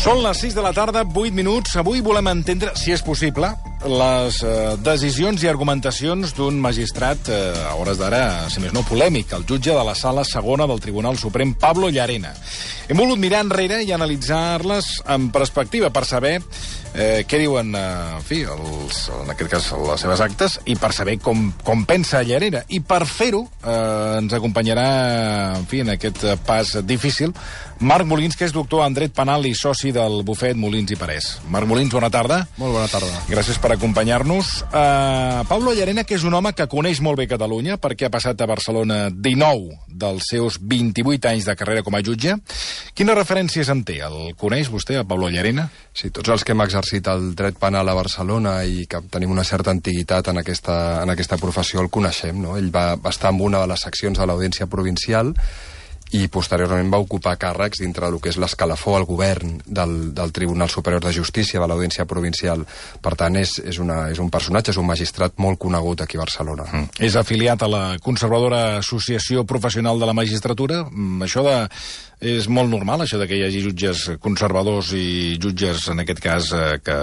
Són les 6 de la tarda, 8 minuts. Avui volem entendre, si és possible, les decisions i argumentacions d'un magistrat, a hores d'ara, si més no, polèmic, el jutge de la Sala Segona del Tribunal Suprem, Pablo Llarena. Hem volgut mirar enrere i analitzar-les en perspectiva per saber què diuen, en fi, en aquest cas, les seves actes, i per saber com pensa Llarena. I per fer-ho ens acompanyarà, en fi, en aquest pas difícil, Marc Molins, que és doctor en dret penal i soci del bufet Molins i Parés. Marc Molins, bona tarda. Molt bona tarda. Gràcies per acompanyar-nos. Pablo Llarena, que és un home que coneix molt bé Catalunya, perquè ha passat a Barcelona 19 dels seus 28 anys de carrera com a jutge. Quines referències en té? El coneix vostè, a Pablo Llarena? Sí, tots els que hem exercit el dret penal a Barcelona i que tenim una certa antiguitat en aquesta professió el coneixem, no? Ell va estar en una de les seccions de l'Audiència Provincial i posteriorment va ocupar càrrecs dintre del que és l'escalafó al govern del Tribunal Superior de Justícia de l'Audiència Provincial. Per tant, és un personatge, és un magistrat molt conegut aquí a Barcelona. És afiliat a la conservadora Associació Professional de la Magistratura. És molt normal, això de que hi hagi jutges conservadors i jutges, en aquest cas, que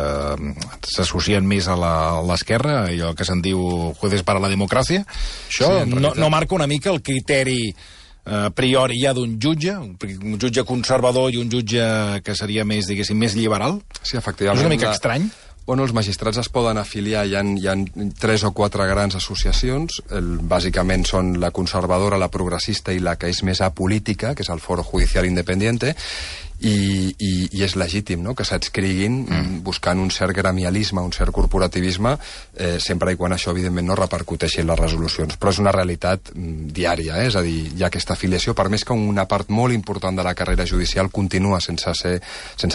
s'associen més a l'esquerra, allò que se'n diu jueces para la democràcia. Això sí, no marca una mica el criteri a priori hi ha d'un jutge, un jutge conservador i un jutge que seria més, diguéssim, més liberal? Sí, efectivament. És una mica estrany? Bueno, els magistrats es poden afiliar, hi ha 3 o 4 grans associacions, bàsicament són la conservadora, la progressista i la que és més apolítica, que és el Foro Judicial Independiente, i és legítim, no?, que s'adscriguin buscant un cert gremialisme, un cert corporativisme, sempre i quan això, evidentment, no repercuteixi en les resolucions. Però és una realitat diària, és a dir, hi ha aquesta afiliació, per més que una part molt important de la carrera judicial continua sense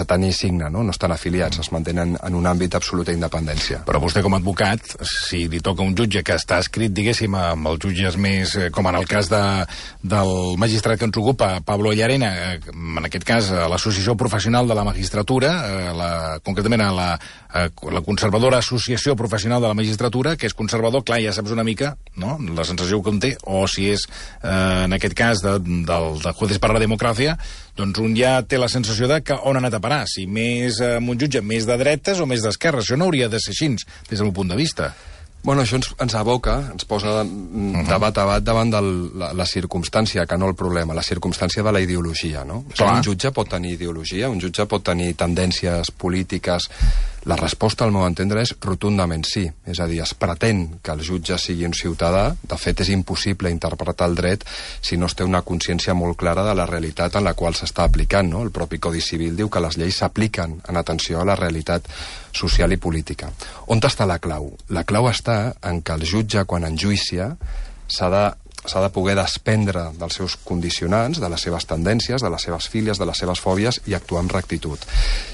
tenir signe, no estan afiliats, es mantenen en un àmbit d'absoluta independència. Però vostè, com a advocat, si li toca un jutge que està escrit, diguéssim, amb els jutges més, com en el cas del magistrat que ens ocupa, Pablo Llarena, en aquest cas, a l'Associació Professional de la Magistratura, concretament a la conservadora Associació Professional de la Magistratura, que és conservador, clar, ja saps una mica, no?, la sensació que en té, o si és, en aquest cas, del Jueces para la Democràcia, doncs un ja té la sensació de que on ha anat a parar, si més amb un jutge més de dretes o més d'esquerres. Això no hauria de ser així, des del meu punt de vista. Bueno, això ens aboca, ens posa de bat a bat davant de la circumstància, que no el problema, la circumstància de la ideologia, no? Un jutge pot tenir ideologia, un jutge pot tenir tendències polítiques. La resposta, al meu entendre, és rotundament sí. És a dir, es pretén que el jutge sigui un ciutadà. De fet, és impossible interpretar el dret si no es té una consciència molt clara de la realitat en la qual s'està aplicant, no? El propi Codi Civil diu que les lleis s'apliquen en atenció a la realitat social i política. On està la clau? La clau està en que el jutge, quan enjuicia, s'ha de poder desprendre dels seus condicionants, de les seves tendències, de les seves fílies, de les seves fòbies i actuar amb rectitud.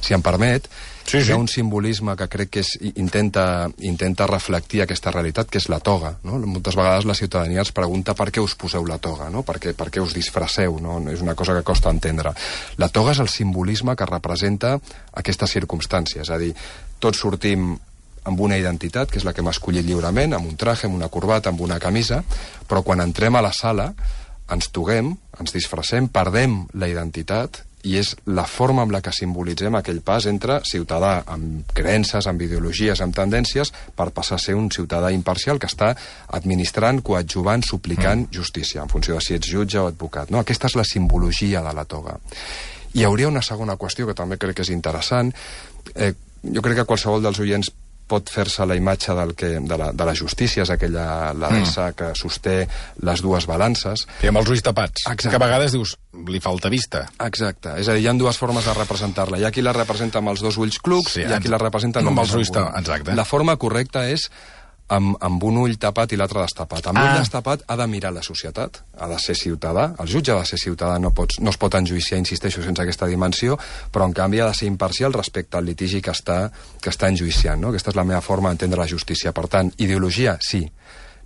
Si em permet, hi ha un simbolisme que crec que intenta reflectir aquesta realitat, que és la toga, no? Moltes vegades la ciutadania es pregunta per què us poseu la toga, no? Per què us disfresseu, no? És una cosa que costa entendre. La toga és el simbolisme que representa aquesta circumstància, és a dir, tots sortim amb una identitat, que és la que hem escollit lliurement, amb un traje, amb una corbata, amb una camisa, però quan entrem a la sala ens toguem, ens disfressem, perdem la identitat, i és la forma amb la que simbolitzem aquell pas entre ciutadà amb creences, amb ideologies, amb tendències, per passar a ser un ciutadà imparcial que està administrant, coadjuvant, suplicant justícia, en funció de si ets jutge o advocat, no? Aquesta és la simbologia de la toga. Hi hauria una segona qüestió que també crec que és interessant. Jo crec que qualsevol dels oients pot fer-se la imatge de la justícia, és aquella deessa que sosté les dues balances. I amb els ulls tapats. Exacte. Que a vegades dius, li falta vista. Exacte. És a dir, hi ha dues formes de representar-la. Hi ha qui la representa amb els dos ulls clucs, i hi ha qui la representa amb els ulls tapats. Exacte. La forma correcta és amb un ull tapat i l'altre destapat. Amb l'ull destapat ha de mirar la societat, ha de ser ciutadà, el jutge ha de ser ciutadà, no es pot enjuiciar, insisteixo, sense aquesta dimensió, però en canvi ha de ser imparcial respecte al litigi que està enjuiciant, no? Aquesta és la meva forma d'entendre la justícia. Per tant, ideologia, sí.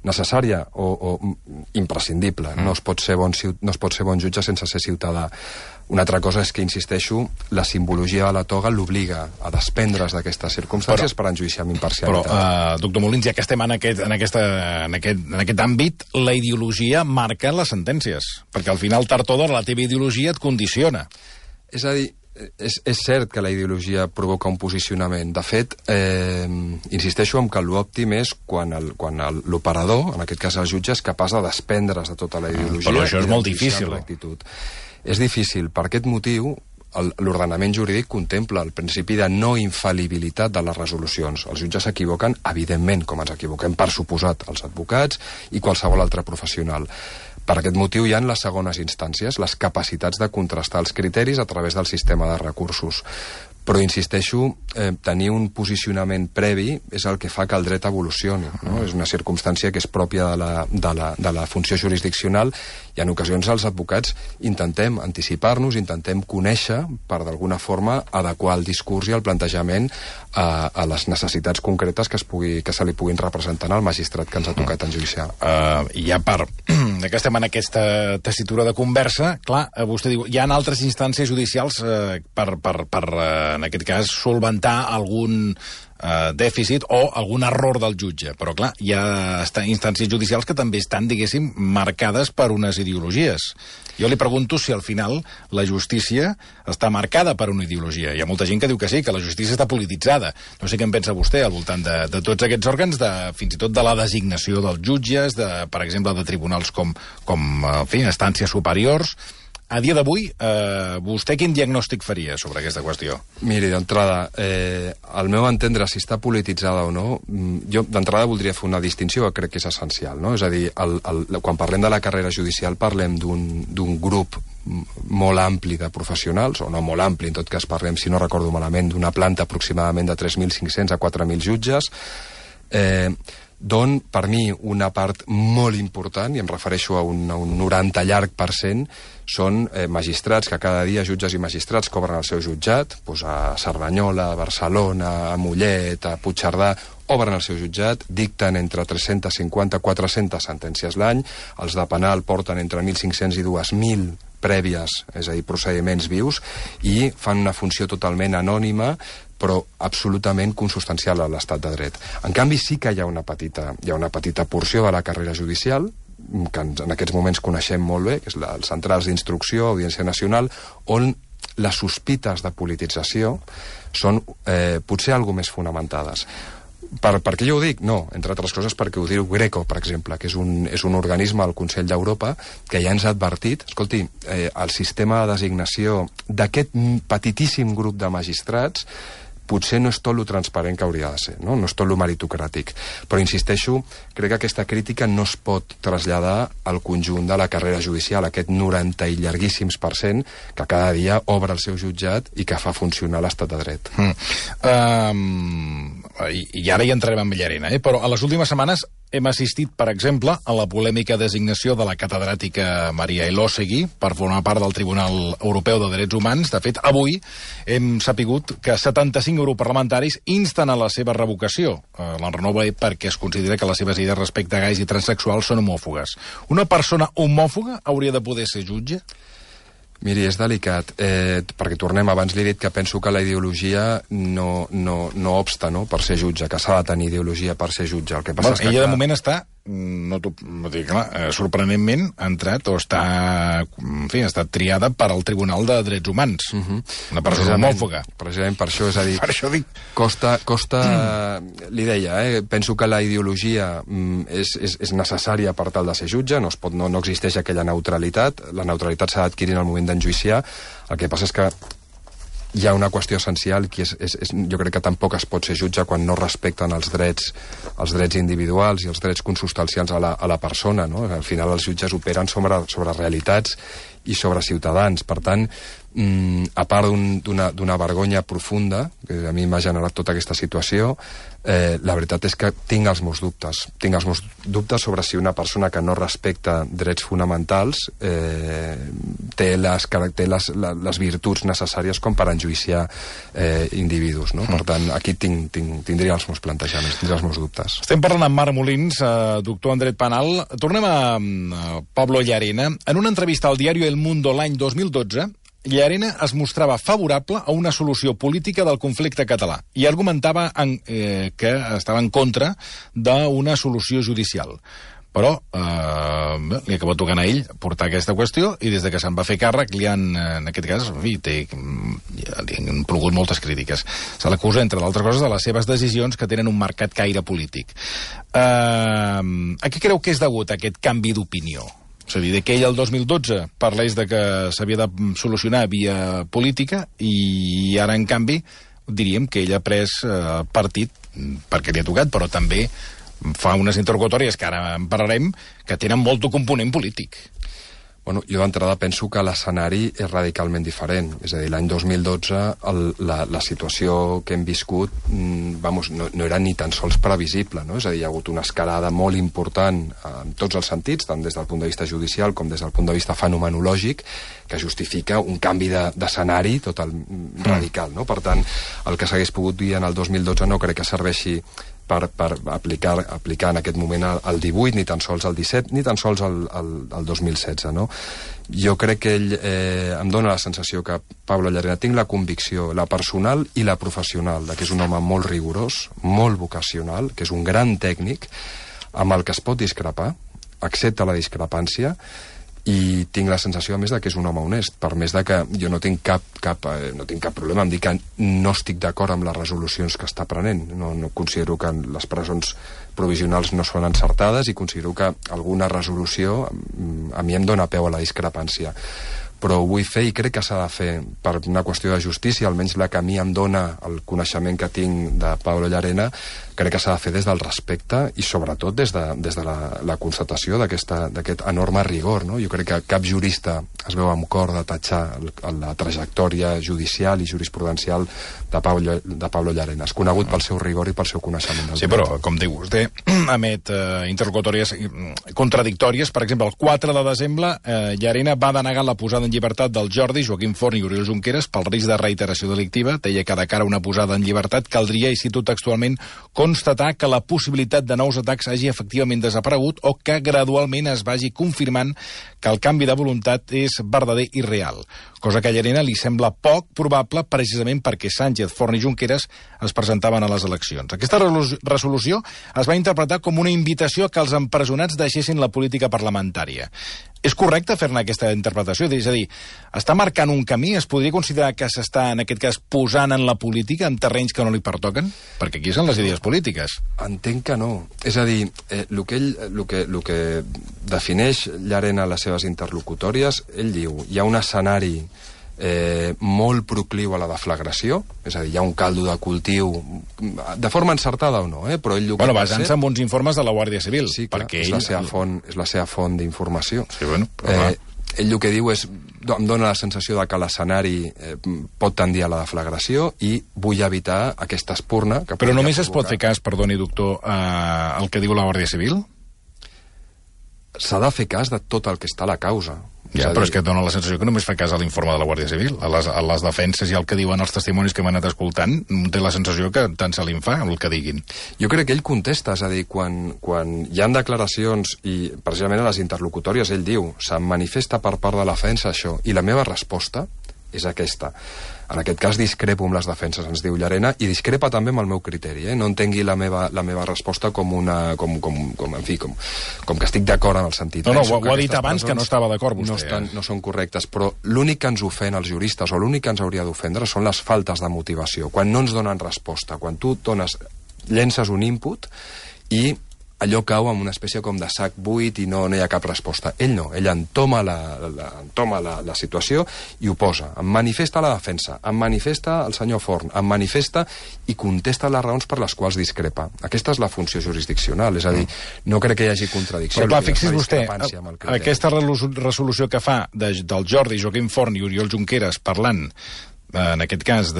Necessària o imprescindible. No es pot ser bon jutge sense ser ciutadà. Una altra cosa és que, insisteixo, la simbologia de la toga l'obliga a desprendre's d'aquestes circumstàncies per enjuiciar amb imparcialitat. Però, doctor Molins, ja que estem en aquest àmbit, la ideologia marca les sentències, perquè al final, tard o d'hora, la teva ideologia et condiciona. És a dir, És cert que la ideologia provoca un posicionament. De fet, insisteixo en que l'òptim és quan l'operador, en aquest cas el jutge, és capaç de desprendre's de tota la ideologia. Però això és molt difícil. És difícil. Per aquest motiu, l'ordenament jurídic contempla el principi de no infal·libilitat de les resolucions. Els jutges s'equivoquen, evidentment, com ens equivoquem, per suposat, els advocats i qualsevol altre professional. Per aquest motiu hi ha les segones instàncies, les capacitats de contrastar els criteris a través del sistema de recursos. Però, insisteixo, tenir un posicionament previ és el que fa que el dret evolucioni, no? És una circumstància que és pròpia de la funció jurisdiccional i en ocasions els advocats intentem anticipar-nos, intentem conèixer per d'alguna forma adequar el discurs i el plantejament a les necessitats concretes que se li puguin representar al magistrat que ens ha tocat enjudiciar. I a part que estem en aquesta tessitura de conversa, clar, vostè diu, hi ha altres instàncies judicials per en aquest cas, solventar algun dèficit o algun error del jutge. Però, clar, hi ha instàncies judicials que també estan, diguéssim, marcades per unes ideologies. Jo li pregunto si al final la justícia està marcada per una ideologia. Hi ha molta gent que diu que sí, que la justícia està polititzada. No sé què en pensa vostè al voltant de tots aquests òrgans, fins i tot de la designació dels jutges, per exemple, de tribunals com en fi, instàncies superiors. A dia d'avui, vostè quin diagnòstic faria sobre aquesta qüestió? Miri, d'entrada, al meu entendre, si està polititzada o no, jo d'entrada voldria fer una distinció que crec que és essencial, no? És a dir, quan parlem de la carrera judicial parlem d'un grup molt ampli de professionals, o no molt ampli, en tot cas parlem, si no recordo malament, d'una planta aproximadament de 3.500 a 4.000 jutges, d'on, per mi, una part molt important, i em refereixo a un 90 llarg per cent, són magistrats que cada dia, jutges i magistrats, cobren el seu jutjat, doncs a Cerdanyola, a Barcelona, a Mollet, a Puigcerdà, obren el seu jutjat, dicten entre 350 i 400 sentències l'any, els de penal porten entre 1.500 i 2.000 prèvies, és a dir, procediments vius, i fan una funció totalment anònima, però absolutament consubstancial a l'estat de dret. En canvi, sí que hi ha una petita porció de la carrera judicial, que en aquests moments coneixem molt bé, que és els centrals d'instrucció, Audiència Nacional, on les sospites de politització són potser alguna més fonamentades. Per què jo ho dic? No, entre altres coses perquè ho diu Greco, per exemple, que és un organisme al Consell d'Europa que ja ens ha advertit, escolti, el sistema de designació d'aquest petitíssim grup de magistrats potser no és tot lo transparent que hauria de ser, no és tot lo meritocràtic. Però, insisteixo, crec que aquesta crítica no es pot traslladar al conjunt de la carrera judicial, aquest 90 i llarguíssims % que cada dia obre el seu jutjat i que fa funcionar l'estat de dret. I ara hi entrarem en Llarena, però a les últimes setmanes hem assistit, per exemple, a la polèmica designació de la catedràtica Maria Elósegui per formar part del Tribunal Europeu de Drets Humans. De fet, avui hem sapigut que 75 europarlamentaris insten a la seva revocació. La renova perquè es considera que les seves idees respecte a gais i transsexuals són homòfogues. Una persona homòfoga hauria de poder ser jutge? Miri, és delicat, perquè tornem, abans li he dit que penso que la ideologia no obsta, no?, per ser jutge, que s'ha de tenir ideologia per ser jutge. El que passa és que ella de moment està, sorprenentment, ha entrat o està, en fi, ha estat triada per al Tribunal de Drets Humans. Una persona homòfoga. Precisament per això, és a dir, per això dic. Costa, li deia, penso que la ideologia és necessària per tal de ser jutge, no existeix aquella neutralitat, la neutralitat s'ha d'adquirir en el moment d'enjuiciar. El que passa és que hi ha una qüestió essencial que jo crec que tampoc es pot ser jutge quan no respecten els drets individuals i els drets consubstancials a la persona, no? Al final els jutges operen sobre realitats i sobre ciutadans. Per tant, a part d'una vergonya profunda, que a mi m'ha generat tota aquesta situació, la veritat és que tinc els meus dubtes. Tinc els meus dubtes sobre si una persona que no respecta drets fonamentals té les virtuts necessàries com per enjuiciar individus, no? Per tant, aquí tindria els meus plantejaments, tindria els meus dubtes. Estem parlant amb Marc Molins, doctor en dret penal. Tornem a Pablo Llarena. En una entrevista al diari El Mundo l'any 2012, Llarena es mostrava favorable a una solució política del conflicte català i argumentava que estava en contra d'una solució judicial. Però li acaba tocant a ell portar aquesta qüestió i des de que se'n va fer càrrec li han, en aquest cas, li han plogut moltes crítiques. Se l'acusa, entre d'altres coses, de les seves decisions que tenen un marcat caire polític. A què creu que és degut aquest canvi d'opinió? És a dir, que ell el 2012 parlés de que s'havia de solucionar via política i ara, en canvi, diríem que ell ha pres partit perquè li ha tocat, però també fa unes interlocutòries, que ara en parlarem, que tenen molt de component polític. Bueno, jo d'entrada penso que l'escenari és radicalment diferent. És a dir, l'any 2012 la situació que hem viscut no era ni tan sols previsible, no? És a dir, hi ha hagut una escalada molt important en tots els sentits, tant des del punt de vista judicial com des del punt de vista fenomenològic, que justifica un canvi d'escenari total radical, no? Per tant, el que s'hagués pogut dir en el 2012 no crec que serveixi per aplicar en aquest moment el 18, ni tan sols el 17, ni tan sols el 2016, no? Jo crec que ell em dóna la sensació que Pablo Llarena, tinc la convicció, la personal i la professional, que és un home molt rigorós, molt vocacional, que és un gran tècnic, amb el que es pot discrepar, accepta la discrepància, i tinc la sensació, a més, que és un home honest, per més que jo no tinc cap problema en dir que no estic d'acord amb les resolucions que està prenent. No considero que les presons provisionals no són encertades i considero que alguna resolució a mi em dóna peu a la discrepància. Però ho vull fer i crec que s'ha de fer per una qüestió de justícia, almenys la que a mi em dóna el coneixement que tinc de Pablo Llarena, crec que s'ha de fer des del respecte i sobretot des de la constatació d'aquest enorme rigor, no? Jo crec que cap jurista es veu amb cor de tatxar la trajectòria judicial i jurisprudencial de Pablo Llarena. És conegut pel seu rigor i pel seu coneixement. Sí, però, com diu vostè, emet interlocutòries contradictòries. Per exemple, el 4 de desembre, Llarena va denegar la posada en llibertat del Jordi, Joaquim Forn i Oriol Junqueras pel risc de reiteració delictiva. Deia que de cara a una posada en llibertat caldria, i cito textualment, constatar que la possibilitat de nous atacs hagi efectivament desaparegut o que gradualment es vagi confirmant que el canvi de voluntat és verdader i real. Cosa que a Llarena li sembla poc probable precisament perquè Sánchez, Forn i Junqueras es presentaven a les eleccions. Aquesta resolució es va interpretar com una invitació a que els empresonats deixessin la política parlamentària. És correcte fer-ne aquesta interpretació? És a dir, està marcant un camí? Es podria considerar que s'està, en aquest cas, posant en la política en terrenys que no li pertoquen? Perquè aquí són les idees polítiques. Entenc que no. És a dir, el que defineix Llarena les seves interlocutòries, ell diu, hi ha un escenari molt procliu a la deflagració, és a dir, hi ha un caldo de cultiu, de forma encertada o no, però ell... Bueno, basant-se en uns informes de la Guàrdia Civil. Sí, clar, és la seva font d'informació. Sí, bueno, però ell el que diu és, em dóna la sensació de que l'escenari pot tendir a la deflagració i vull evitar aquesta espurna... Però només es pot fer cas, perdoni, doctor, al que diu la Guàrdia Civil? S'ha de fer cas de tot el que està a la causa. Ja, però és que dona la sensació que només fa cas a l'informe de la Guàrdia Civil. A les defenses i el que diuen els testimonis que hem anat escoltant, té la sensació que tant se li en fa el que diguin. Jo crec que ell contesta, és a dir, quan hi ha declaracions i precisament a les interlocutòries ell diu, se'm manifesta per part de la defensa això, i la meva resposta és aquesta. En aquest cas discrepo amb les defenses, ens diu Llarena, i discrepa també amb el meu criteri. No entengui la meva resposta com que estic d'acord en el sentit. No, ho ha dit abans que no estava d'acord vostè. No són correctes, però l'únic que ens ofèn als juristes, o l'únic que ens hauria d'ofendre, són les faltes de motivació. Quan no ens donen resposta, quan tu llences un input i allò cau amb una espècie com de sac buit i no hi ha cap resposta. Ell no, ell entoma la situació i ho posa. Em manifesta la defensa, em manifesta el senyor Forn, em manifesta i contesta les raons per les quals discrepa. Aquesta és la funció jurisdiccional, és a dir, no crec que hi hagi contradicció. Però clar, fixi's vostè, aquesta resolució que fa del Jordi, Joaquim Forn i Oriol Junqueras parlant, en aquest cas,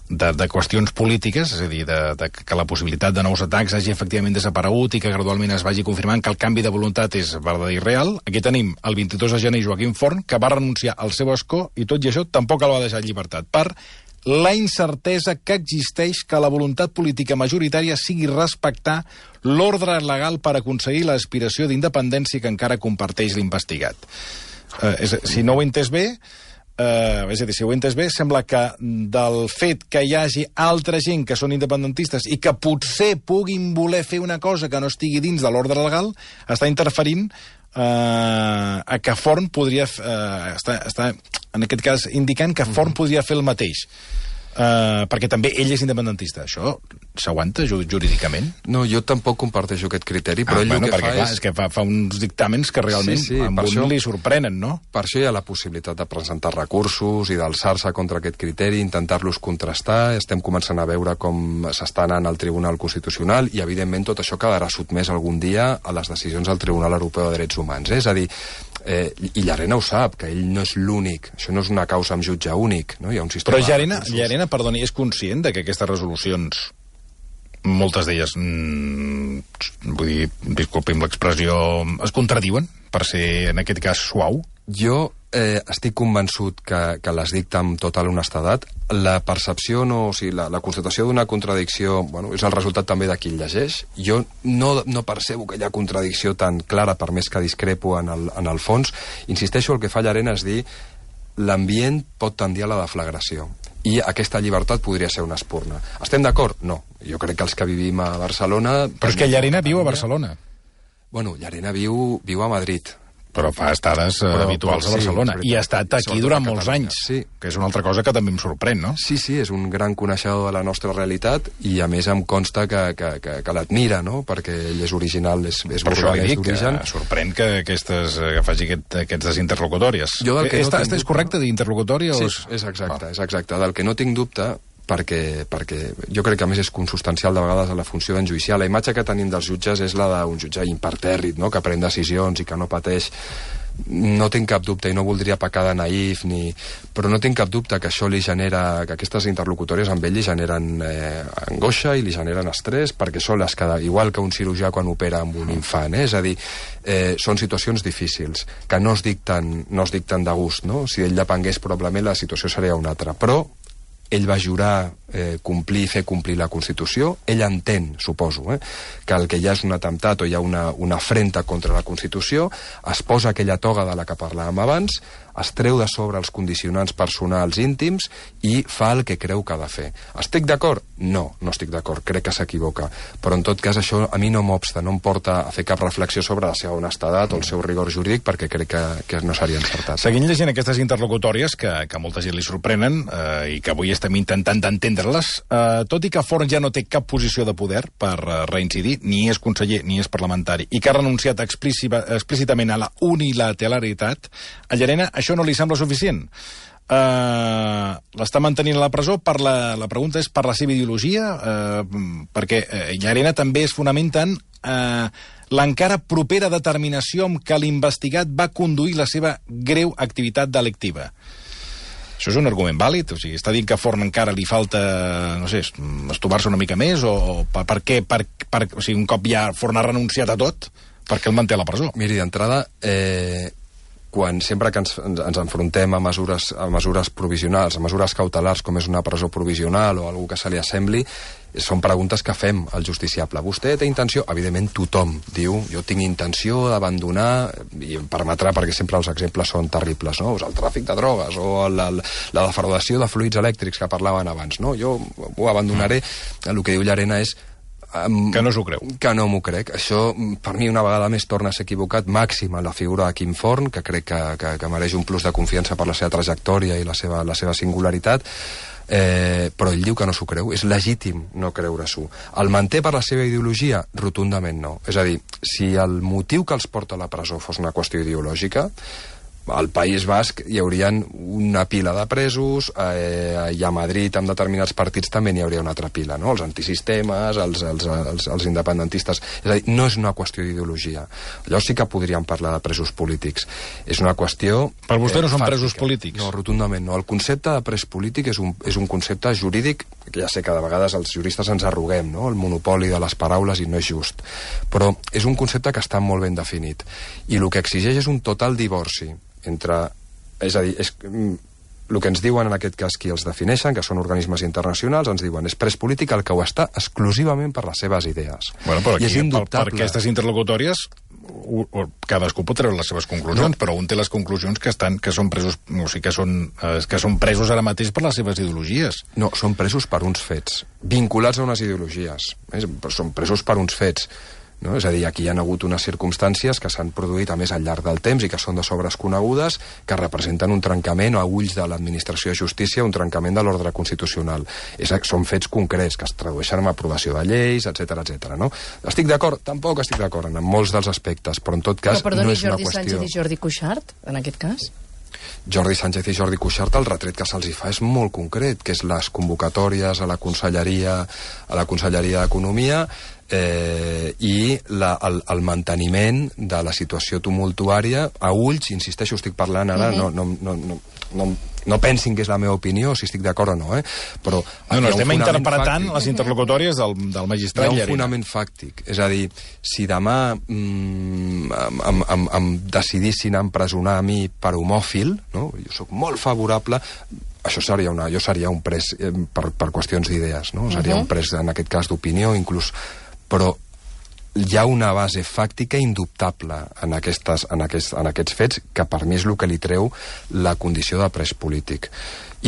de qüestions polítiques, és a dir, que la possibilitat de nous atacs hagi efectivament desaparegut i que gradualment es vagi confirmant que el canvi de voluntat és verdader i real. Aquí tenim el 22 de gener Joaquim Forn, que va renunciar al seu escó i tot i això tampoc el va deixar en llibertat, per la incertesa que existeix que la voluntat política majoritària sigui respectar l'ordre legal per aconseguir l'aspiració d'independència que encara comparteix l'investigat. Si no ho he entès bé, és a dir, si ho he entès bé, sembla que del fet que hi hagi altra gent que són independentistes i que potser puguin voler fer una cosa que no estigui dins de l'ordre legal, està interferint a que Forn podria... està, en aquest cas, indicant que Forn podria fer el mateix. Perquè també ell és independentista. Això s'aguanta jurídicament? No, jo tampoc comparteixo aquest criteri, però ell el que fa és... És que fa uns dictàmens que realment amb un li sorprenen, no? Per això hi ha la possibilitat de presentar recursos i d'alçar-se contra aquest criteri, intentar-los contrastar. Estem començant a veure com s'està anant al Tribunal Constitucional i, evidentment, tot això quedarà sotmès algun dia a les decisions del Tribunal Europeu de Drets Humans. És a dir, i Llarena ho sap, que ell no és l'únic. Això no és una causa amb jutge únic, no? Hi ha un sistema... Però Llarena, perdoni, és conscient de que aquestes resolucions, moltes d'elles, vull dir, disculpi'm l'expressió, es contradiuen, per ser, en aquest cas, suau? Jo estic convençut que les dicta amb total honestedat. La percepció, o sigui, la constatació d'una contradicció, bueno, és el resultat també de qui el llegeix. Jo no percebo que hi ha contradicció tan clara, per més que discrepo en el fons. Insisteixo, el que fa Llarena és dir l'ambient pot tendir a la deflagració. I aquesta llibertat podria ser una espurna. Estem d'acord? No. Jo crec que els que vivim a Barcelona... Però és que Llarena viu a Barcelona. Bueno, Llarena viu a Madrid. Però fa estades habituals a Barcelona. I ha estat aquí durant molts anys, que és una altra cosa que també em sorprèn, no? Sí, és un gran coneixedor de la nostra realitat i, a més, em consta que l'admira, no? Perquè ell és original, és burgalès d'origen. Sorprèn que faci aquestes interlocutòries. És correcte dir interlocutòria? Sí, és exacte. Del que no tinc dubte, perquè jo crec que a més és consubstancial de vegades a la funció d'enjuiciar. La imatge que tenim dels jutges és la d'un jutge impertèrrit, no? Que pren decisions i que no pateix. No tinc cap dubte, i no voldria pecar de naïf, però no tinc cap dubte que això li genera, que aquestes interlocutòries amb ell li generen angoixa i li generen estrès, perquè són les que, igual que un cirurgià quan opera amb un infant, és a dir, són situacions difícils, que no es dicten de gust, no? Si ell depengués, probablement la situació seria una altra, però ell va jurar fer complir la Constitució. Ell entén, suposo, que el que hi ha és un atemptat o hi ha una afrenta contra la Constitució, es posa aquella toga de la que parlàvem abans, es treu de sobre els condicionants personals íntims i fa el que creu que ha de fer. Estic d'acord? No estic d'acord, crec que s'equivoca. Però en tot cas això a mi no m'obsta, no em porta a fer cap reflexió sobre la seva honestedat o el seu rigor jurídic, perquè crec que no seria encertat. Seguint llegint aquestes interlocutòries, que a molta gent li sorprenen i que avui estem intentant d'entendre-les, tot i que Forn ja no té cap posició de poder per reincidir, ni és conseller ni és parlamentari, i que ha renunciat explícitament a la unilateralitat, a Llarena això no li sembla suficient. L'està mantenint a la presó la pregunta és per la seva ideologia, perquè Llarena també es fonamenta en l'encara propera determinació amb què l'investigat va conduir la seva greu activitat delictiva. Això és un argument vàlid? O sigui, està dient que a Forn encara li falta, no sé, estovar-se una mica més? O per què? O sigui, un cop ja Forn ha renunciat a tot, per què el manté a la presó? Miri, d'entrada, sempre que ens enfrontem a mesures provisionals, a mesures cautelars, com és una presó provisional o algú que se li assembli, són preguntes que fem al justiciable. Vostè té intenció? Evidentment tothom diu, jo tinc intenció d'abandonar, i em permetrà, perquè sempre els exemples són terribles, no? El tràfic de drogues o la defraudació de fluids elèctrics que parlaven abans, no? Jo ho abandonaré. El que diu Llarena és que no s'ho creu. Que no m'ho crec. Això, per mi, una vegada més torna a ser equivocat, màxim a la figura de Quim Forn, que crec que mereix un plus de confiança per la seva trajectòria i la seva singularitat, però ell diu que no s'ho creu. És legítim no creure-s'ho. El manté per la seva ideologia? Rotundament no. És a dir, si el motiu que els porta a la presó fos una qüestió ideològica, al País Basc hi haurien una pila de presos, i a Madrid amb determinats partits també n'hi hauria una altra pila, no? Els antisistemes, els independentistes. És a dir, no és una qüestió d'ideologia. Allò sí que podríem parlar de presos polítics. És una qüestió... Per vostè no són presos polítics? No, rotundament no. El concepte de pres polític és un concepte jurídic, que ja sé que de vegades els juristes ens arroguem, no? El monopoli de les paraules, i no és just. Però és un concepte que està molt ben definit. I el que exigeix és un total divorci entre... És a dir, el que ens diuen en aquest cas qui els defineixen, que són organismes internacionals, ens diuen és pres polític el que ho està exclusivament per les seves idees. Bueno, però aquí, per aquestes interlocutòries, cadascú pot treure les seves conclusions, però un té les conclusions que són presos, o sigui, que són presos ara mateix per les seves ideologies. No, són presos per uns fets, vinculats a unes ideologies. Són presos per uns fets. no? És a dir, aquí hi ha hagut unes circumstàncies que s'han produït a més al llarg del temps i que són de sobres conegudes, que representen un trencament a ulls de l'administració de justícia, un trencament de l'ordre constitucional. Són fets concrets que es tradueixen en aprovació de lleis, etc, no? Estic d'acord? Tampoc estic d'acord en molts dels aspectes, però en tot cas no és una qüestió... Jordi Sánchez i Jordi Cuixart, en aquest cas? Jordi Sánchez i Jordi Cuixart, el retret que se'ls fa és molt concret, que és les convocatòries a la Conselleria d'Economia i el manteniment de la situació tumultuària a ulls, insisteixo, estic parlant ara, no pensin que és la meva opinió, si estic d'acord o no, però... No, estem interpretant les interlocutòries del magistrat Llarena. Hi ha un fonament fàctic, és a dir, si demà em decidissin empresonar a mi per homòfil, no? Jo sóc molt favorable... Jo seria un pres per qüestions d'idees, no? Seria un pres, en aquest cas, d'opinió, inclús... Però hi ha una base fàctica indubtable en aquests fets que per mi és el que li treu la condició de pres polític.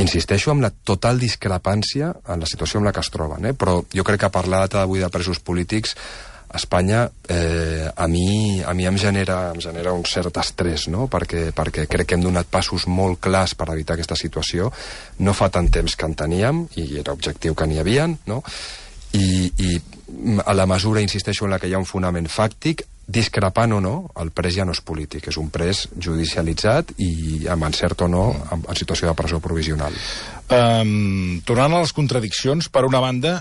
Insisteixo en la total discrepància en la situació en la que es troben, però jo crec que parlar avui de presos polítics a Espanya a mi em genera un cert estrès, no? Perquè crec que hem donat passos molt clars per evitar aquesta situació. No fa tant temps que en teníem, i era objectiu que n'hi havien, no? I a la mesura, insisteixo, en la que hi ha un fonament fàctic, discrepant o no, el pres ja no és polític, és un pres judicialitzat i amb encert o no en situació de presó provisional. Tornant a les contradiccions, per una banda,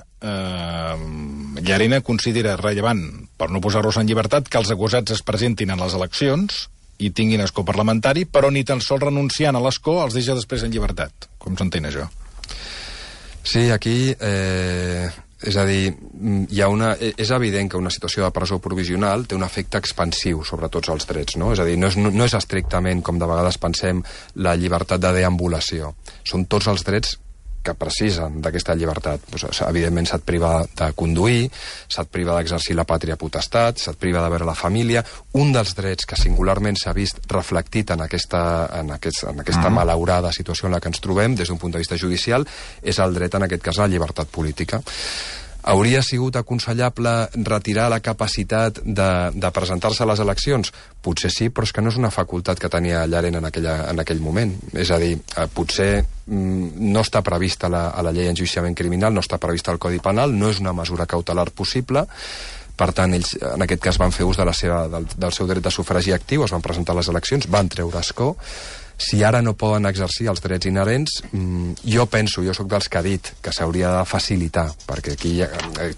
Llarena considera rellevant, per no posar-los en llibertat, que els acusats es presentin en les eleccions i tinguin escó parlamentari, però ni tan sols renunciant a l'escó els deixa després en llibertat. Com s'entén això? Sí, aquí... És a dir, és evident que una situació de presó provisional té un efecte expansiu sobre tots els drets, no? És a dir, no és estrictament, com de vegades pensem, la llibertat de deambulació. Són tots els drets que precisen d'aquesta llibertat. Evidentment se't priva de conduir, se't priva d'exercir la pàtria potestat, se't priva de veure la família. Un dels drets que singularment s'ha vist reflectit en aquesta malaurada situació en la que ens trobem des d'un punt de vista judicial és el dret, en aquest cas, a la llibertat política. Hauria sigut aconsellable retirar la capacitat de presentar-se a les eleccions? Potser sí, però és que no és una facultat que tenia Llarena en aquell moment. És a dir, potser no està prevista a la llei d'enjudiciament criminal, no està prevista al Codi Penal, no és una mesura cautelar possible. Per tant, ells, en aquest cas, van fer ús del seu dret de sufragi actiu, es van presentar a les eleccions, van treure escó. Si ara no poden exercir els drets inherents, jo soc dels que ha dit que s'hauria de facilitar, perquè aquí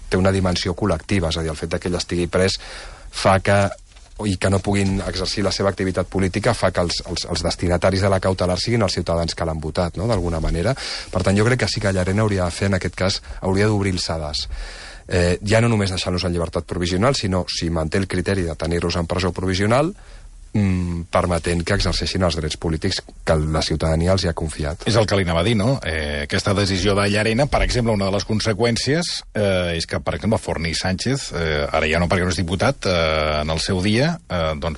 té una dimensió col·lectiva, és a dir, el fet que ell estigui pres fa i que no puguin exercir la seva activitat política fa que els destinataris de la cautelar siguin els ciutadans que l'han votat, no?, d'alguna manera. Per tant, jo crec que sí que Llarena hauria de fer, en aquest cas, hauria d'obrir el sedàs. Ja no només deixant-los en llibertat provisional, sinó si manté el criteri de tenir-los en presó provisional, permetent que exerceixin els drets polítics que la ciutadania els hi ha confiat. És el que li anava a dir, no? Aquesta decisió de Llarena, per exemple, una de les conseqüències és que, per exemple, Forní Sánchez, ara ja no perquè no és diputat, en el seu dia, doncs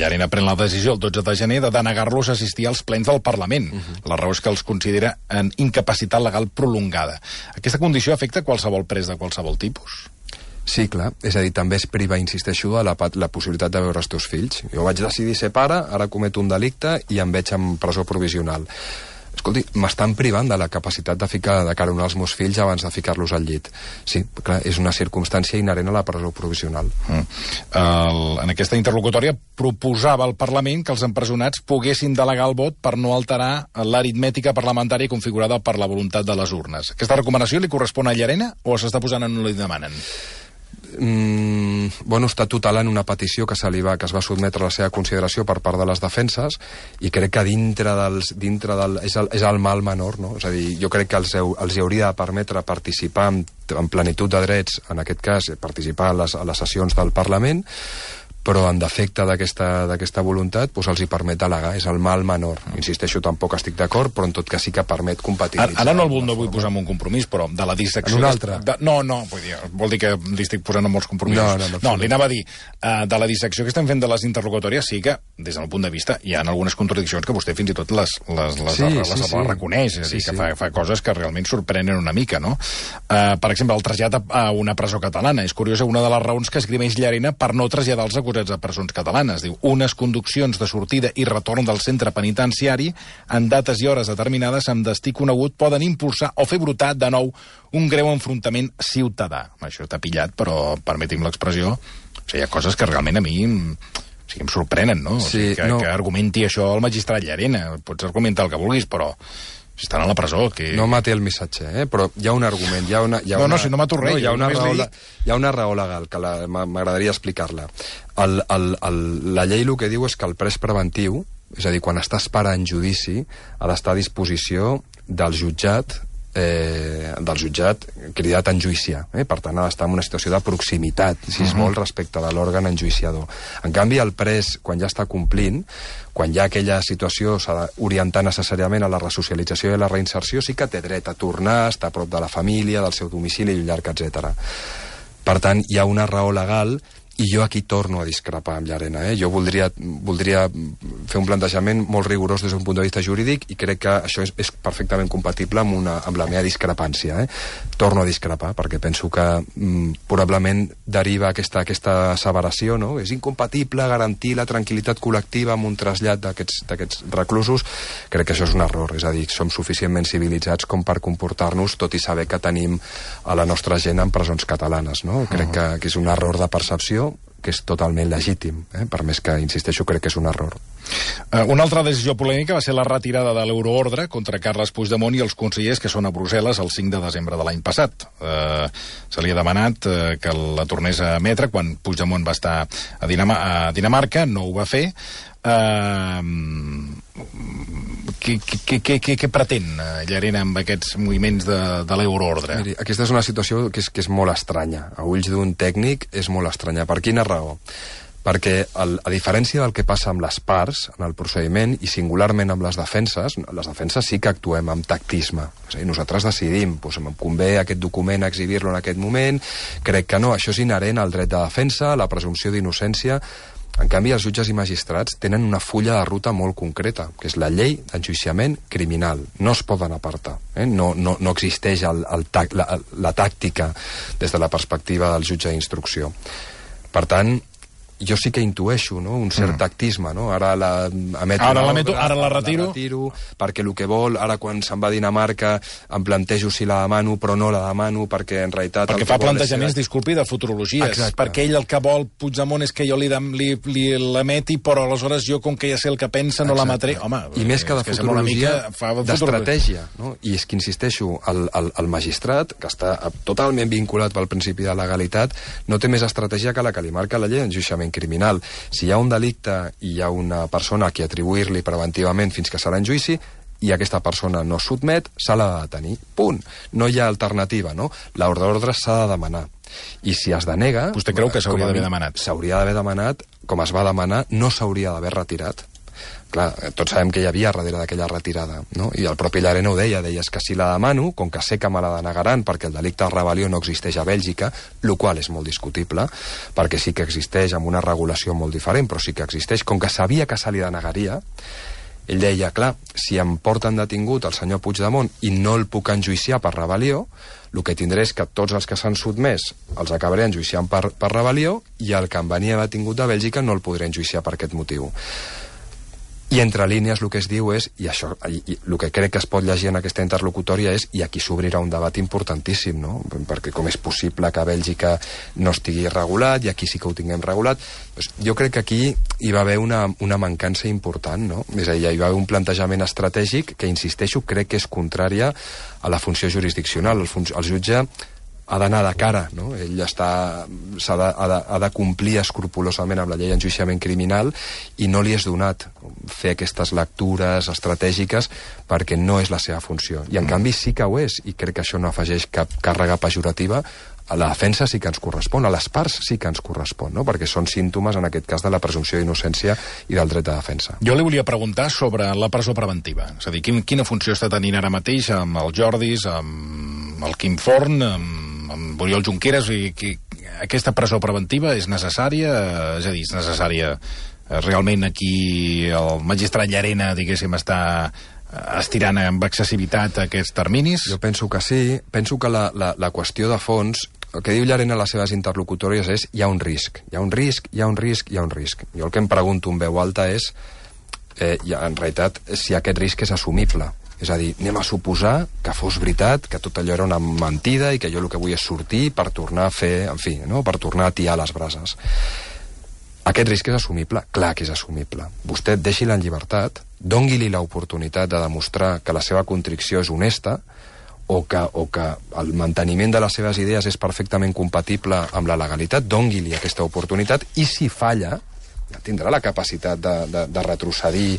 Llarena pren la decisió el 12 de gener de denegar-los a assistir als plens del Parlament. La raó és que els considera en incapacitat legal prolongada. Aquesta condició afecta qualsevol pres de qualsevol tipus? Sí, clar. És a dir, també es priva, insisteixo, de la possibilitat de veure els teus fills. Jo vaig decidir ser pare, ara cometo un delicte i em veig en presó provisional. Escolti, m'estan privant de la capacitat de caronar els meus fills abans de ficar-los al llit. Sí, clar, és una circumstància inherent a la presó provisional. En aquesta interlocutòria proposava al Parlament que els empresonats poguessin delegar el vot per no alterar l'aritmètica parlamentària configurada per la voluntat de les urnes. Aquesta recomanació li correspon a Llarena o s'està posant en on li demanen? Està tutelant una petició que es va sotmetre a la seva consideració per part de les defenses i crec que és el mal menor, no? És a dir, jo crec que els hi hauria de permetre participar en plenitud de drets, en aquest cas participar a les sessions del Parlament, però en defecte d'aquesta voluntat doncs els hi permet delegar, és el mal menor. Insisteixo, tampoc estic d'acord, però en tot cas sí que permet compatibilitzar. Ara no vull posar en un compromís, però de la dissecció... En un altre? No, vol dir que li estic posant en molts compromisos. No, li anava a dir, de la dissecció que estem fent de les interlocutòries, sí que, des del punt de vista, hi ha algunes contradiccions que vostè fins i tot les reconeix, és a dir, que fa coses que realment sorprenen una mica, no? Per exemple, el trasllat a una presó catalana. És curiosa una de les raons que esgrimeix Llarena per no traslladar els acusats a presons catalanes. Diu, unes conduccions de sortida i retorn del centre penitenciari en dates i hores determinades amb destí conegut poden impulsar o fer brotar de nou un greu enfrontament ciutadà. Això està pillat, però permeti'm l'expressió, o sigui, hi ha coses que realment a mi em sorprenen, no? Sí, que argumenti això el magistrat Llarena. Pots argumentar el que vulguis, però si estan a la presó... No mate el missatge, però hi ha un argument, si no mato res. Hi ha una raó legal, que m'agradaria explicar-la. La llei el que diu és que el pres preventiu, és a dir, quan està esperant judici, ha d'estar a disposició del jutjat cridat a enjuiciar. Per tant, ha d'estar en una situació de proximitat, si es vol, respecte de l'òrgan enjuiciador. En canvi, el pres, quan ja està complint, quan ja aquella situació s'ha d'orientar necessàriament a la resocialització i a la reinserció, sí que té dret a tornar, estar a prop de la família, del seu domicili i un llarg, etc. Per tant, hi ha una raó legal. I jo aquí torno a discrepar amb Llarena. Jo voldria fer un plantejament molt rigorós des d'un punt de vista jurídic i crec que això és perfectament compatible amb la meva discrepància. Torno a discrepar perquè penso que probablement deriva aquesta asseveració, no? És incompatible garantir la tranquil·litat col·lectiva amb un trasllat d'aquests reclusos. Crec que això és un error. És a dir, som suficientment civilitzats com per comportar-nos, tot i saber que tenim a la nostra gent en presons catalanes. No? Crec que és un error de percepció que és totalment legítim, per més que, insisteixo, crec que és un error. Una altra decisió polèmica va ser la retirada de l'euroordre contra Carles Puigdemont i els consellers que són a Brussel·les el 5 de desembre de l'any passat. Se li ha demanat que la tornés a emetre quan Puigdemont va estar a Dinamarca, no ho va fer. Què pretén Llarena amb aquests moviments de l'euroordre? Miri, aquesta és una situació que és molt estranya. A ulls d'un tècnic és molt estranya. Per quina raó? Perquè, a diferència del que passa amb les parts en el procediment i singularment amb les defenses sí que actuem amb tactisme. És a dir, nosaltres decidim, em convé aquest document exhibir-lo en aquest moment, crec que no, això és inherent al dret de defensa, a la presumpció d'innocència. En canvi, els jutges i magistrats tenen una fulla de ruta molt concreta, que és la llei d'enjuiciament criminal. No es poden apartar. No existeix la tàctica des de la perspectiva del jutge d'instrucció. Per tant, jo sí que intueixo, no?, un cert tactisme, no? Ara la retiro, perquè el que vol, ara quan se'n va a Dinamarca em plantejo si la demano, però no la demano, perquè en realitat... Perquè fa plantejaments, disculpi, de futurologies. Exacte. Perquè ell el que vol, Puigdemont, és que jo li l'emeti, però aleshores jo, com que ja sé el que pensa, no l'emetré. Home, i més que de futurologia, d'estratègia, no? I és que, insisteixo, el magistrat, que està totalment vinculat pel principi de legalitat, no té més estratègia que la que li marca la llei d'enjuiciament criminal. Si hi ha un delicte i hi ha una persona a qui atribuir-li preventivament fins que serà en judici i aquesta persona no sotmet, s'ha de detenir. Punt. No hi ha alternativa, no? L'ordre d'ordre s'ha de demanar. I si es denega... Vostè creu que s'hauria d'haver demanat? S'hauria d'haver demanat, com es va demanar, no s'hauria d'haver retirat. Clar, tots sabem que hi havia darrere d'aquella retirada, no? I el propi Llarena ho deia, és que si la demano, com que sé que me la denegaran perquè el delicte de rebel·lió no existeix a Bèlgica, el qual és molt discutible, perquè sí que existeix amb una regulació molt diferent, però sí que existeix, com que sabia que se li denegaria, ell deia, clar, si em porten detingut el senyor Puigdemont i no el puc enjuiciar per rebel·lió, el que tindré és que tots els que s'han sotmès els acabaré enjuiciant per rebel·lió i el que em venia detingut de Bèlgica no el podré enjuiciar per aquest motiu. I entre línies el que es diu és, i això, el que crec que es pot llegir en aquesta interlocutòria és, i aquí s'obrirà un debat importantíssim, no? Perquè com és possible que a Bèlgica no estigui regulat i aquí sí que ho tinguem regulat, doncs jo crec que aquí hi va haver una mancança important, no? És a dir, hi va haver un plantejament estratègic que, insisteixo, crec que és contrària a la funció jurisdiccional. El jutge ha d'anar de cara, no? Ell ha de complir escrupolosament amb la llei d'enjuiciament criminal i no li és donat fer aquestes lectures estratègiques perquè no és la seva funció. I en canvi sí que ho és, i crec que això no afegeix cap càrrega pejorativa A la defensa sí que ens correspon, a les parts sí que ens correspon, no? Perquè són símptomes, en aquest cas, de la presumpció d'innocència i del dret de defensa. Jo li volia preguntar sobre la presó preventiva. És a dir, quina funció està tenint ara mateix amb el Jordis, amb el Quim Forn, amb Oriol Junqueras? Aquesta presó preventiva és necessària? És a dir, és necessària realment aquí el magistrat Llarena, diguéssim, està estirant amb excessivitat aquests terminis? Jo penso que sí. Penso que la qüestió de fons, el que diu Llarena a les seves interlocutòries és hi ha un risc, hi ha un risc, hi ha un risc, hi ha un risc. Jo el que em pregunto en veu alta és, en realitat, si aquest risc és assumible. És a dir, anem a suposar que fos veritat, que tot allò era una mentida i que jo el que vull és sortir per tornar a fer, en fi, no? Per tornar a tiar les brases. Aquest risc és assumible? Clar que és assumible. Vostè deixi-la en llibertat, doni-li l'oportunitat de demostrar que la seva contrició és honesta o que el manteniment de les seves idees és perfectament compatible amb la legalitat, doni-li aquesta oportunitat i si falla, ja tindrà la capacitat de retrocedir.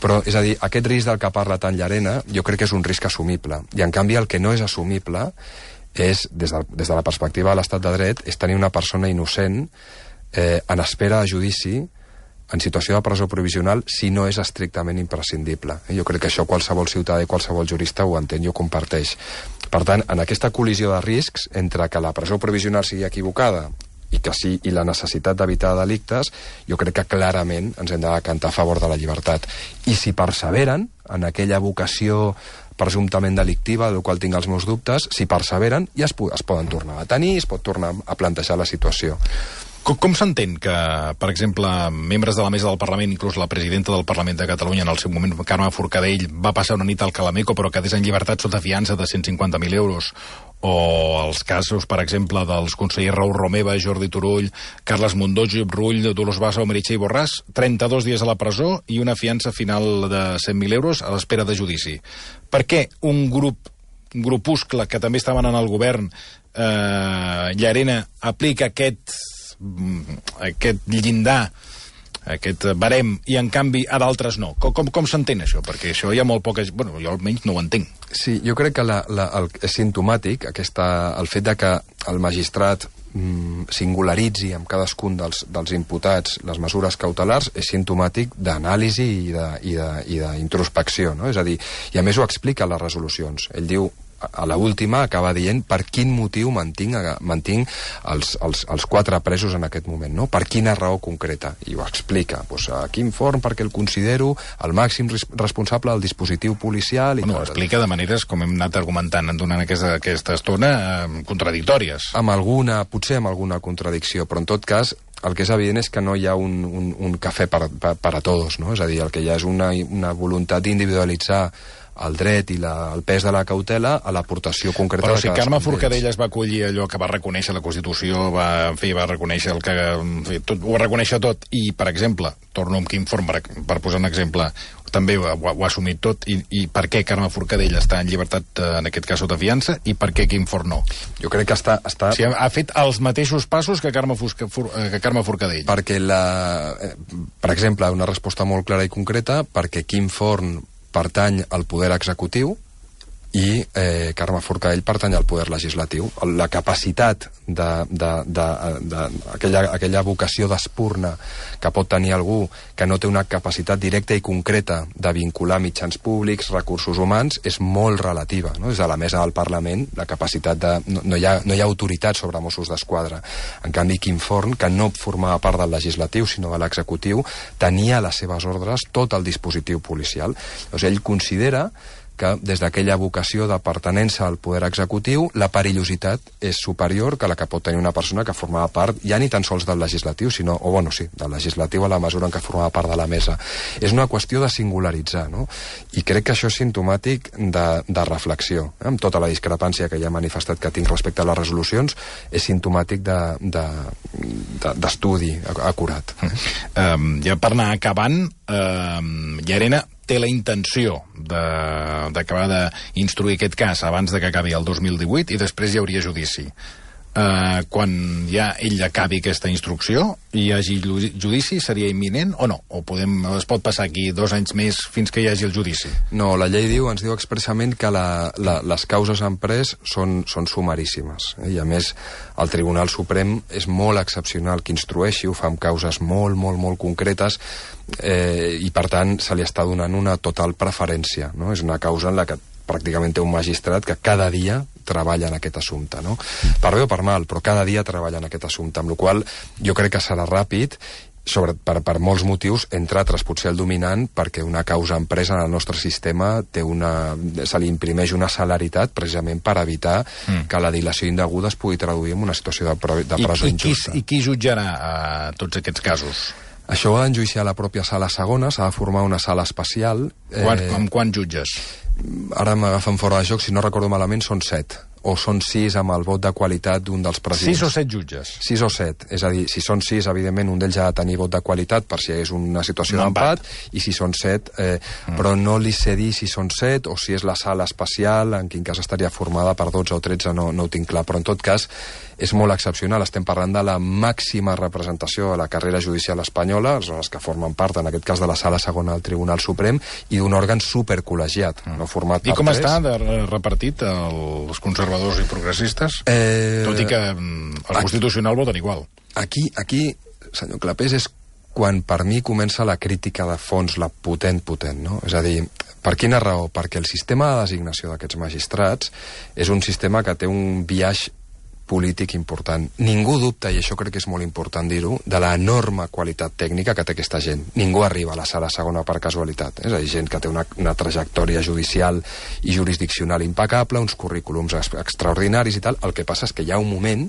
Però, és a dir, aquest risc del que parla tant Llarena jo crec que és un risc assumible. I, en canvi, el que no és assumible és, des de la perspectiva de l'estat de dret, és tenir una persona innocent en espera de judici en situació de presó provisional si no és estrictament imprescindible. Jo crec que això qualsevol ciutadà i qualsevol jurista ho entén i ho comparteix. Per tant, en aquesta col·lisió de riscs entre que la presó provisional sigui equivocada i la necessitat d'evitar delictes, jo crec que clarament ens hem de decantar a favor de la llibertat. I si perseveren en aquella vocació presumptament delictiva, del qual tinc els meus dubtes, si perseveren ja es poden tornar a tenir, es pot tornar a plantejar la situació. Com s'entén que, per exemple, membres de la mesa del Parlament, inclús la presidenta del Parlament de Catalunya, en el seu moment, Carme Forcadell, va passar una nit al Calameco però quedés en llibertat sota fiança de 150.000 euros? O els casos, per exemple, dels consellers Raül Romeva, Jordi Turull, Carles Mundó, Josep Rull, Dolors Bassa o Meritxell Borràs, 32 dies a la presó i una fiança final de 100.000 euros a l'espera de judici. Per què un grupuscle que també estaven en el govern, Llarena, aplica aquest llindar, aquest barem, i en canvi a d'altres no? Com s'entén això? Perquè això hi ha molt poca... Bueno, jo almenys no ho entenc. Sí, jo crec que és sintomàtic el fet de que el magistrat singularitzi amb cadascun dels imputats les mesures cautelars és sintomàtic d'anàlisi i d'introspecció, no? És a dir, i a més ho explica a les resolucions. Ell diu, a l'última acaba dient per quin motiu mantinc els 4 presos en aquest moment, no? Per quina raó concreta, i ho explica. A Quim Forn perquè el considero el màxim responsable del dispositiu policial i ho explica de maneres, com hem anat argumentant durant aquesta estona, contradictòries. Potser amb alguna contradicció, però en tot cas el que és evident és que no hi ha un cafè per a tots, no? És a dir, el que hi ha és una voluntat d'individualitzar el dret i el pes de la cautela a l'aportació concreta. Però si Carme Forcadell es va acollir allò que va reconèixer la Constitució, va reconèixer ho va reconèixer tot, i, per exemple, torno amb Quim Forn per posar un exemple, també ho ha assumit tot, i per què Carme Forcadell està en llibertat, en aquest cas sota fiança, i per què Quim Forn no? Jo crec que està... O sigui, ha fet els mateixos passos que Carme Forcadell. Perquè, per exemple, una resposta molt clara i concreta, perquè Quim Forn pertany al poder executiu i Carme Forcadell pertany al poder legislatiu. La capacitat aquella vocació d'espurna que pot tenir algú que no té una capacitat directa i concreta de vincular mitjans públics, recursos humans, és molt relativa, no? Des de la mesa del Parlament, la capacitat no hi ha autoritat sobre Mossos d'Esquadra. En canvi, Quim Forn, que no formava part del legislatiu, sinó de l'executiu, tenia a les seves ordres tot el dispositiu policial. Llavors, ell considera que des d'aquella vocació de pertenença al poder executiu la perillositat és superior que la que pot tenir una persona que formava part ja ni tan sols del legislatiu, sinó, del legislatiu a la mesura en què formava part de la mesa. És una qüestió de singularitzar, no? I crec que això és sintomàtic de reflexió. Amb tota la discrepància que ja he manifestat que tinc respecte a les resolucions, és sintomàtic d'estudi acurat. Ja per anar acabant, Llarena té la intenció d'acabar d'instruir aquest cas abans de que acabi el 2018 i després hi hauria judici. quan ja ell acabi aquesta instrucció i hi hagi judici, seria imminent o no? O es pot passar aquí 2 anys més fins que hi hagi el judici? No, la llei ens diu expressament que les causes en pres són sumaríssimes. I a més, el Tribunal Suprem és molt excepcional que instrueixi, ho fa amb causes molt, molt, molt concretes, i per tant se li està donant una total preferència, no? És una causa en la que pràcticament té un magistrat que cada dia treballa en aquest assumpte, no? Per bé o per mal, però cada dia treballa en aquest assumpte, amb la qual jo crec que serà ràpid, per molts motius, entre altres potser el dominant, perquè una causa empresa en el nostre sistema se li imprimeix una celeritat precisament per evitar que la dilació indeguda es pugui traduir en una situació de presó injusta. I qui jutjarà tots aquests casos? Això ho ha d'enjuiciar la pròpia sala segona, s'ha de formar una sala especial. Amb quants jutges? Ara m'agafen fora de joc, si no recordo malament són 7, o són 6 amb el vot de qualitat d'un dels presidents. 6 o 7 jutges? 6 o 7, és a dir, si són 6, evidentment un d'ells ha de tenir vot de qualitat per si és una situació d'empat, i si són 7, però no li sé dir si són 7 o si és la sala especial, en quin cas estaria formada per 12 o 13, no ho tinc clar, però en tot cas és molt excepcional. Estem parlant de la màxima representació de la carrera judicial espanyola, són les que formen part, en aquest cas, de la sala segona del Tribunal Suprem, i d'un òrgan supercol·legiat, no format per 3. I com està repartit els conservadors i progressistes? Tot i que el Constitucional voten igual. Aquí, senyor Clapés, és quan per mi comença la crítica de fons, la potent, no? És a dir, per quina raó? Perquè el sistema de designació d'aquests magistrats és un sistema que té un biaix polític important. Ningú dubta, i això crec que és molt important dir-ho, de l'enorme qualitat tècnica que té aquesta gent. Ningú arriba a la sala segona per casualitat. És a dir, gent que té una trajectòria judicial i jurisdiccional impecable, uns currículums extraordinaris i tal. El que passa és que hi ha un moment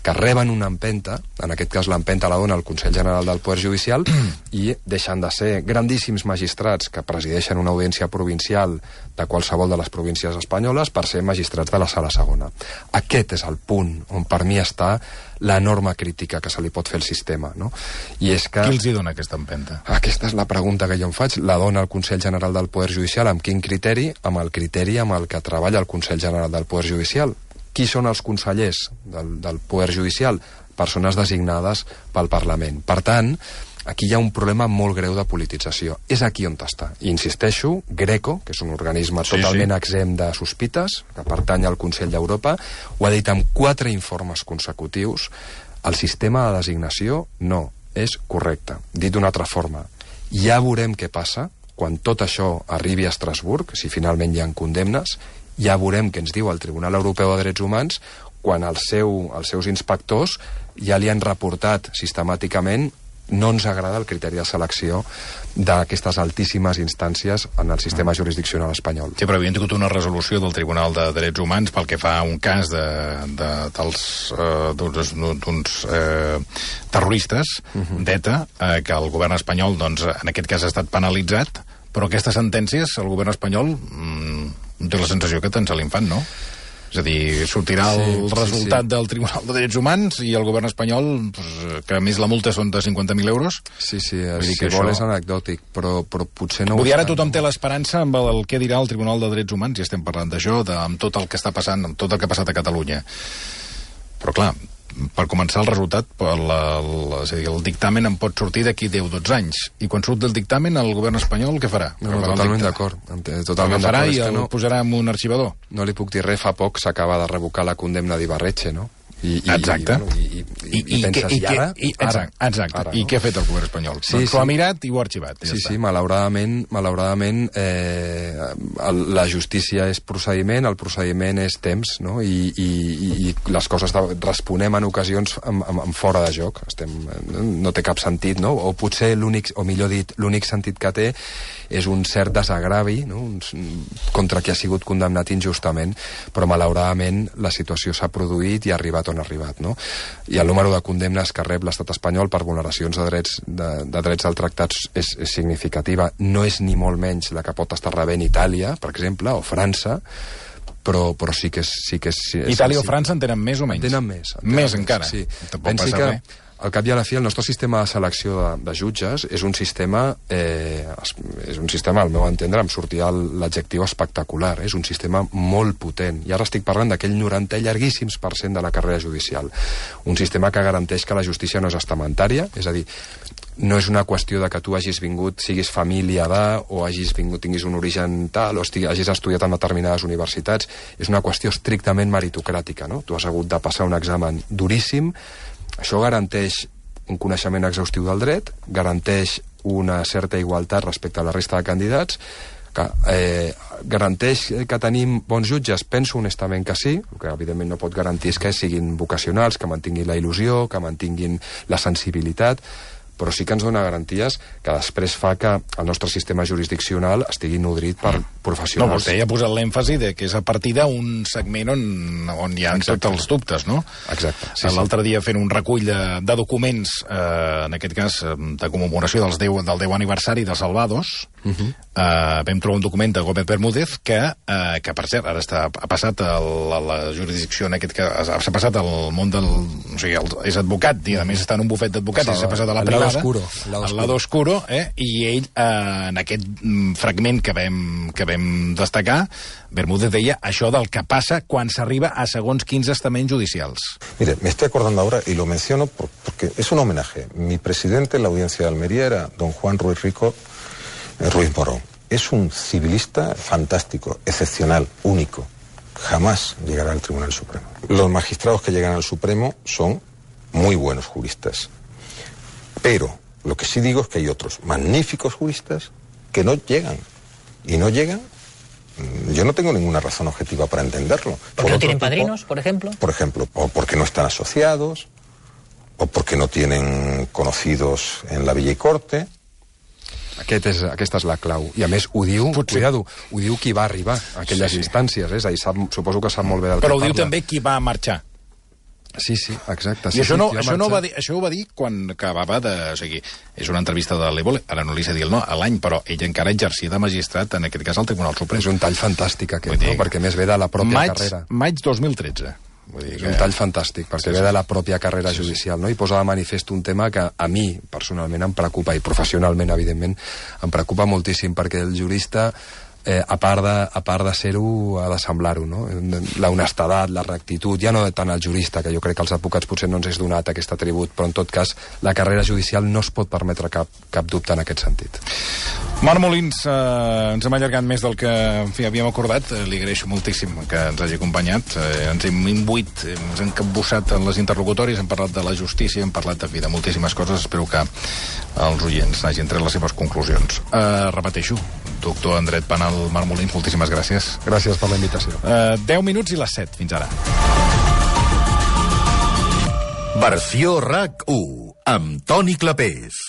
que reben una empenta, en aquest cas l'empenta la dona el Consell General del Poder Judicial, i deixen de ser grandíssims magistrats que presideixen una audiència provincial de qualsevol de les províncies espanyoles per ser magistrats de la sala segona. Aquest és el punt on per mi està l'enorme crítica que se li pot fer al sistema, no? I és que... Qui els hi dona aquesta empenta? Aquesta és la pregunta que jo em faig. La dona el Consell General del Poder Judicial. Amb quin criteri? Amb el criteri amb el que treballa el Consell General del Poder Judicial. Qui són els consellers del Poder Judicial? Persones designades pel Parlament. Per tant, aquí hi ha un problema molt greu de politització. És aquí on està. I insisteixo, Greco, que és un organisme totalment exempt de sospites, que pertany al Consell d'Europa, ho ha dit amb 4 informes consecutius. El sistema de designació no és correcte. Dit d'una altra forma, ja veurem què passa quan tot això arribi a Estrasburg, si finalment hi ha condemnes, ja veurem què ens diu el Tribunal Europeu de Drets Humans quan els seus inspectors ja li han reportat sistemàticament no ens agrada el criteri de selecció d'aquestes altíssimes instàncies en el sistema jurisdiccional espanyol. Sí, però havien tingut una resolució del Tribunal de Drets Humans pel que fa a un cas d'uns terroristes d'ETA, que el govern espanyol, doncs, en aquest cas ha estat penalitzat, però aquestes sentències, el govern espanyol té la sensació que te'n se l'infant, no? És a dir, sortirà el resultat del Tribunal de Drets Humans i el govern espanyol, que a més la multa són de 50.000 euros. Sí, si vol és anecdòtic, però potser no... Vull dir, ara tothom té l'esperança amb el que dirà el Tribunal de Drets Humans, i estem parlant d'això, amb tot el que està passant, amb tot el que ha passat a Catalunya. Però clar, per començar el resultat, és a dir, el dictamen en pot sortir d'aquí 10-12 anys. I quan surt del dictamen, el govern espanyol què farà? Totalment d'acord. El farà i el posarà en un arxivador. No li puc dir res, fa poc s'acaba de revocar la condemna d'Ibarretxe, no? Exacte. I penses, i ara? Exacte. I què ha fet el govern espanyol? S'ho ha mirat i ho ha arxivat. Sí, malauradament la justícia és procediment, el procediment és temps, no? I les coses responem en ocasions amb fora de joc. No té cap sentit, no? O potser l'únic sentit que té és un cert desagravi, no? Contra qui ha sigut condemnat injustament, però malauradament la situació s'ha produït i ha arribat on ha arribat, no? I el número de condemnes que rep l'estat espanyol per vulneracions de drets del tractat és significativa. No és ni molt menys la que pot estar rebent Itàlia, per exemple, o França, però sí que és... Itàlia o França en tenen més o menys? Tenen més. Més encara? Sí. Tampoc passa res. al cap i a la fi, el nostre sistema de selecció de jutges és un sistema, al meu entendre, em sortia l'adjectiu espectacular, és un sistema molt potent. I ara estic parlant d'aquell 90 llarguíssims % de la carrera judicial. Un sistema que garanteix que la justícia no és estamentària, és a dir, no és una qüestió de que tu hagis vingut, siguis família de, o hagis vingut, tinguis un origen tal, o hagis estudiat en determinades universitats. És una qüestió estrictament meritocràtica, no? Tu has hagut de passar un examen duríssim. Això garanteix un coneixement exhaustiu del dret, garanteix una certa igualtat respecte a la resta de candidats, garanteix que tenim bons jutges? Penso honestament que sí. El que evidentment no pot garantir és que siguin vocacionals, que mantinguin la il·lusió, que mantinguin la sensibilitat, però sí que ens dona garanties que després fa que el nostre sistema jurisdiccional estigui nodrit per professionals. No, vostè ja ha posat l'èmfasi de que és a partir d'un segment on hi ha tots els dubtes, no? Exacte. Sí, l'altre dia fent un recull de documents, en aquest cas de commemoració del 10 aniversari de Salvados, vam trobar un document de Gómez Bermúdez que per cert, ara ha passat a la jurisdicció, en aquest cas, s'ha passat al món del... O sigui, és advocat, i a més està en un bufet d'advocats, i s'ha passat a la privada, al lado oscuro, i ell, en aquest fragment que vam destacar, Bermúdez deia això del que passa quan s'arriba a segons quins estaments judicials. Mire, me estoy acordando ahora, y lo menciono porque es un homenaje. Mi presidente en la audiencia de Almería era don Juan Ruiz Morón. Es un civilista fantástico, excepcional, único. Jamás llegará al Tribunal Supremo. Los magistrados que llegan al Supremo son muy buenos juristas. Pero lo que sí digo es que hay otros magníficos juristas que no llegan. Y no llegan, yo no tengo ninguna razón objetiva para entenderlo. ¿Por qué no tienen padrinos, por ejemplo? Por ejemplo, o porque no están asociados, o porque no tienen conocidos en la Villa y Corte. Aquesta és la clau. I a més, ho diu, cuidado, ho diu qui va arribar a aquelles instàncies. És a dir, suposo que sap molt bé del que parla. Però ho diu també qui va marxar. Sí, exacte. I això ho va dir quan acabava de... O sigui, és una entrevista de l'Evole, ara no li sé dir el no, a l'any, però ell encara exercia de magistrat, en aquest cas, al Tribunal Suprem. És un tall fantàstic aquest, no? Perquè més ve de la pròpia carrera. Maig 2013. És un tall fantàstic, perquè ve de la pròpia carrera judicial, no? I posa de manifest un tema que a mi, personalment, em preocupa, i professionalment, evidentment, em preocupa moltíssim, perquè el jurista, a part de ser-ho, ha de semblar-ho, no? La honestedat, la rectitud, ja no tant el jurista, que jo crec que als advocats potser no ens és donat aquest atribut, però en tot cas, la carrera judicial no es pot permetre cap dubte en aquest sentit. Marc Molins, ens hem allargat més del que havíem acordat. Li agraeixo moltíssim que ens hagi acompanyat. Ens hem imbuït, ens hem capbussat en les interlocutòries, hem parlat de la justícia, hem parlat de moltíssimes coses. Espero que els oients n'hagin tret les seves conclusions. Repeteixo, doctor en dret penal Marc Molins, moltíssimes gràcies. Gràcies per la invitació. 10 minuts i les 7. Fins ara. Versió RAC 1 amb Toni Clapés.